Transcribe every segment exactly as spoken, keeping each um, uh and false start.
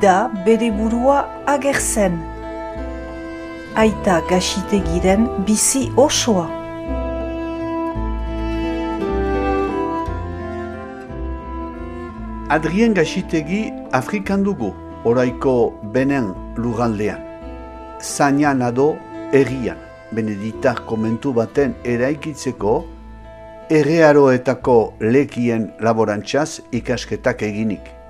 da bere burua agertzen. Aita Gaxitegiren bizi osoa. Adrien Gaxitegi Afrikan dugu, oraiko Benen lurraldean. Zainan ado herrian, Beneditar komentu baten eraikitzeko, errearoetako lekien laborantzaz ikasketak eginik.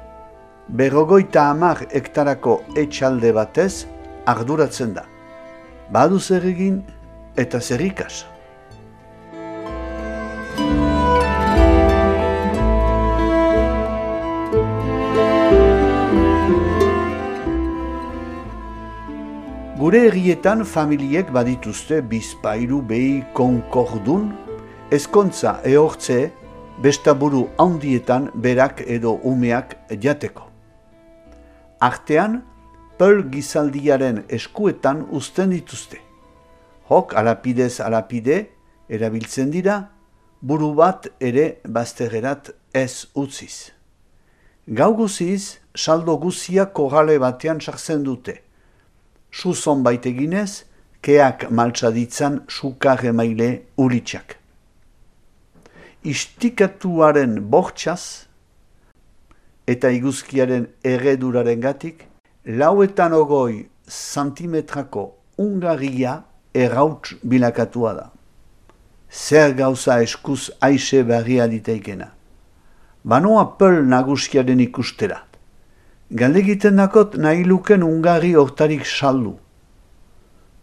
Berrogoita hamar hektarako etxalde batez arduratzen da. Badu zer egin eta zer ikas. Gure herrietan familiek badituzte bizpairu behi konkordun, ezkontza ehortze bestaburu handietan berak edo umeak jateko. Artean, peul gizaldiaren eskuetan uzten dituzte. Hok alapidez alapide erabiltzen dira, buru bat ere bazterrerat ez utziz. Gau guziz, saldo guzia korrale batean sartzen dute. Suzon baiteginez, keak maltsaditzan sukar emaile ulitxak. Istikatuaren bortxaz eta iguzkiaren erreduraren gatik, lauetan ogoi santimetrako ungarria errauts bilakatua da. Zer gauza eskuz aixe barria diteikena. Banoa peul nagusiaren ikustera. Galdegiten dakot nahi luken ungarri hortarik saldu.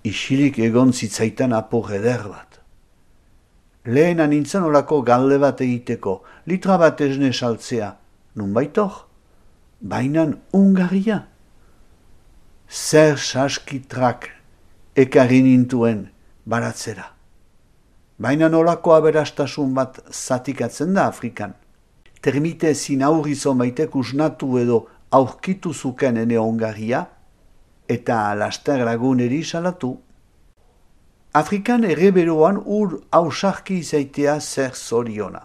Isilik egon zitzaitan apur eder bat. Lehena nintzen olako galde bat egiteko, litra bat esne saltzea, nun baitor, bainan ungarria. Zer saskitrak ekarri nintuen baratzera. Bainan olako aberastasun bat zatikatzen da Afrikan. Termite zin aurrizon baitek usnatu edo aurkitu zuken ene ongarria eta laster laguneri salatu. Afrikan erreberoan ur hausarki izaitea zer zoriona.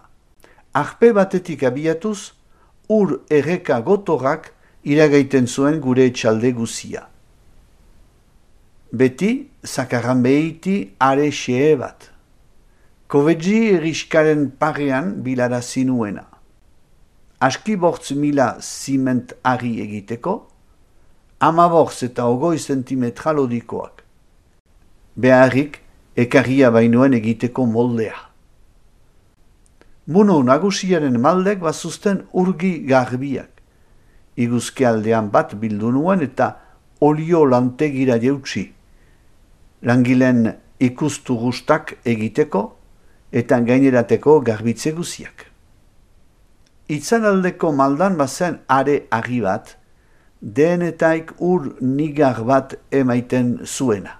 Arpe batetik abiatuz, ur erreka gotorrak iragaiten zuen gure etxalde guzia. Beti, zakarran behiti are xee bat. Kovedzi eriskaren parean bilara zinuena. Aski bortz mila ziment ari egiteko, ama bortz eta ogoi zentimetra lodikoak. Beharrik, ekarria bainoen egiteko moldea. Muno nagusiaren maldek bazuzten urgi garbiak. Iguzke aldean bat bildu nuen eta olio lantegira jeutsi. Langileen ikustu guztak egiteko eta gainerateko garbitze guziak. Itzalaldeko maldan bazen are agi bat, denetaik ur nigar bat emaiten zuena.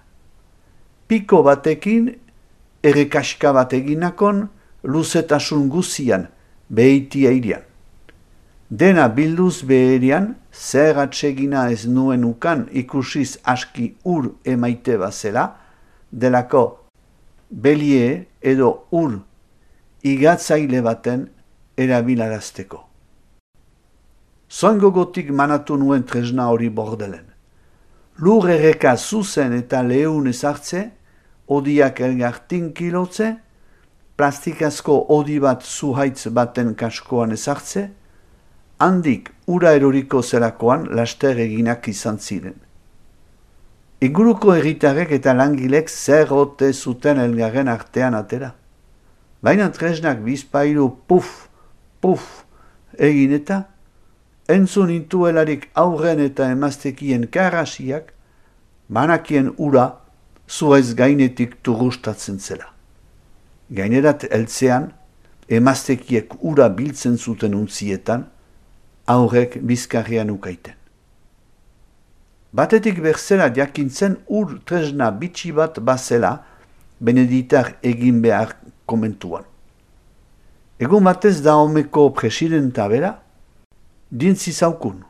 Piko batekin, errekaska bat eginakon, luzetasun guzian, behiti eirian. Dena bilduz beherian, zer atsegina ez nuen ukan ikusiz aski ur emaite bazela, delako belie edo ur igatzaile baten erabilarazteko. Zoingogotik manatu nuen tresna hori bordelen. Lur erreka zuzen eta lehun ezartze, odiak elgartin kilotze, plastikazko odi bat zuhaitz baten kaskoan ezartze, handik ura eroriko zelakoan laster eginak izan ziren. Inguruko herritarrek eta langilek zer ote zuten elgarren artean atera. Baina tresnak bizpailu puf, puf, egin eta, entzun intuelarik aurren eta emaztekien karrasiak, banakien ura zuaiz gainetik turustatzen zela. Gainerat eltzean, emaztekiek ura biltzen zuten untzietan, aurrek bizkarrian ukaiten. Batetik berzela jakintzen ur tresna bitxi bat bazela, Beneditar egin behar komentuan. Egun batez da homeko presidenta bera, dintzi zaukun.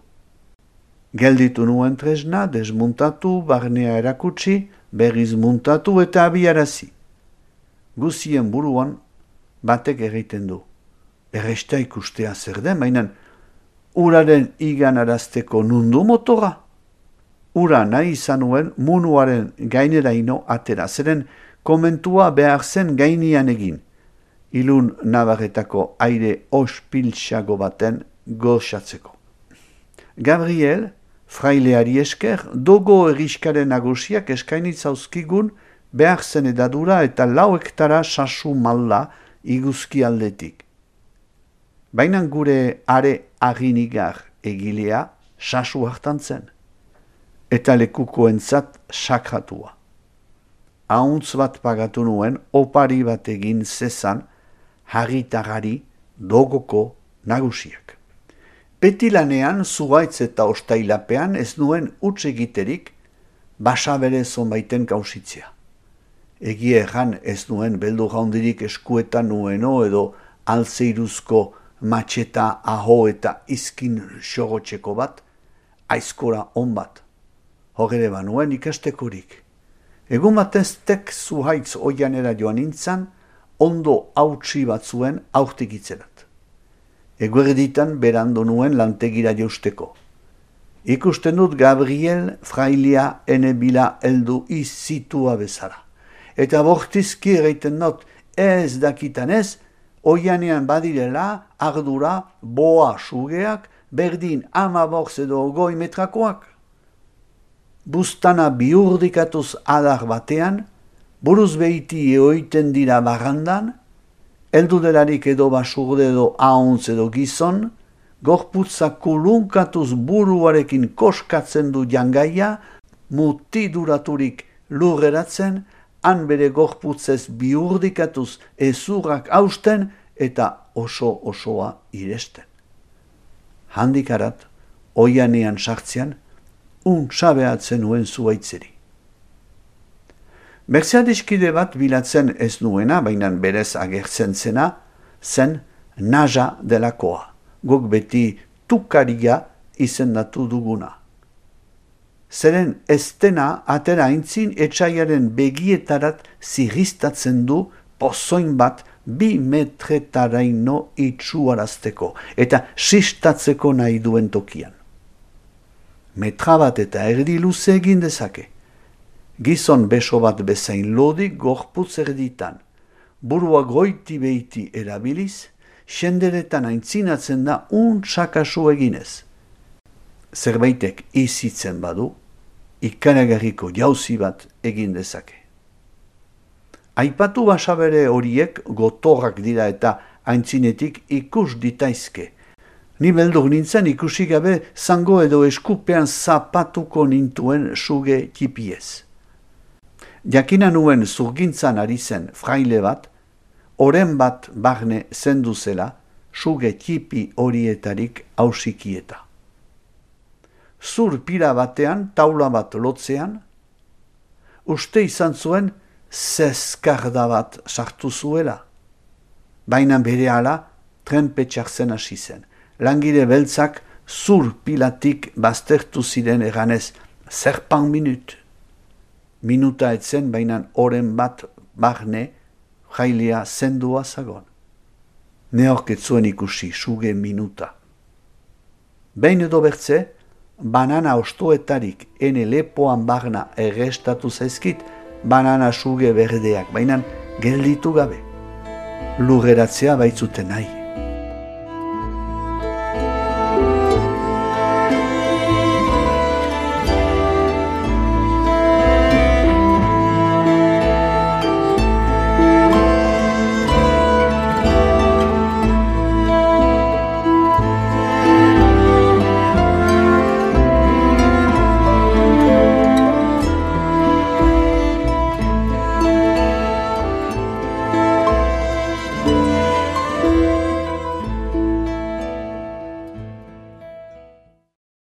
Gelditu nuen tresna, desmuntatu, barnea erakutsi, berriz muntatu eta abiarazi. Guzien buruan batek egiten du. Erresta ikustea zer den, mainan uraren iganarazteko nundu motora. Ura nahi izan nuen munuaren gaineraino atera, zeren komentua behar zen gainian egin, ilun nabarretako aire ospiltsago baten goxatzeko. Gabriel, fraileari esker, dogo eriskaren nagusiak eskainitzauzkigun behar zen edadura eta lau hektara sasu malda iguzki aldetik. Baina gure are aginigar egilea sasu hartan zen, eta lekukoentzat sakratua. Ahuntz bat pagatu nuen opari bat egin zezan harritarari dogoko nagusiak. Beti lanean zuhaitz eta ostailapean ez nuen utz egiterik basabere zonbaiten kausitzea. Egia erran ez nuen beldu jaundirik eskuetan nueno edo alzeiruzko matxeta aho eta izkin xogotxeko bat, aizkora on bat. Hogere banuen ikastekorik. Egun bateztek zuhaitz oianera joan nintzan, ondo hautsi batzuen aurtik itzerat. Eguerditan berando nuen lantegira jausteko. Ikusten dut Gabriel frailia ene bila heldu izitua bezala. Eta bortizki egiten not ez dakitan ez, oianean badirela ardura boa sugeak berdin ama borz edo goi metrakoak. Bustana biurdikatuz adar batean, buruz behiti eoiten dira barrandan, heldu delarik edo basurde edo ahuntz edo gizon, gorputza kulunkatuz buruarekin koskatzen du jangaia, mutiduraturik lurreratzen, han bere gorputzez biurdikatuz ezurrak hausten eta oso osoa iresten. Handikarat, oianean sartzean, untsabeatzen nuen zuaitzeri. Mercedes-kide bat bilatzen ez nuena, baina berez agertzen zena, zen Naja delakoa, guk beti tukaria izendatu duguna. Zeren estena atera aintzin etxaiaren begietarat zirristatzen du pozoin bat bi metretaraino itxuarazteko eta sistatzeko nahi duen tokian. Metra bat eta erdi luze egin dezake. Gizon beso bat bezain lodik gorputz erditan, burua goiti behiti erabiliz, senderetan aintzinatzen da untsakasu eginez. Zerbaitek izitzen badu, ikaragarriko jauzi bat egin dezake. Aipatu basabere horiek gotorrak dira eta aintzinetik ikus ditaizke. Ni beldur nintzen ikusi gabe zango edo eskupean zapatuko nintuen suge tipiez. Jakina nuen zurgintzan ari zen fraile bat, oren bat barne zendu zela, suge tipi horietarik hausikieta. Zur pira batean, taula bat lotzean, uste izan zuen zeskarda bat sartu zuela. Baina berehala trenpetxartzen hasi zen. Langile beltzak zur pilatik baztertu ziren eganez, zerpan minut. Minuta etzen, baina oren bat barne jailea zendua zagon. Neork ez zuen ikusi suge minuta. Behin edo bertze, banana ostoetarik ene lepoan barna errestatu zaizkit, banana suge berdeak, baina gelditu gabe. Lurreratzea baitzuten nahi.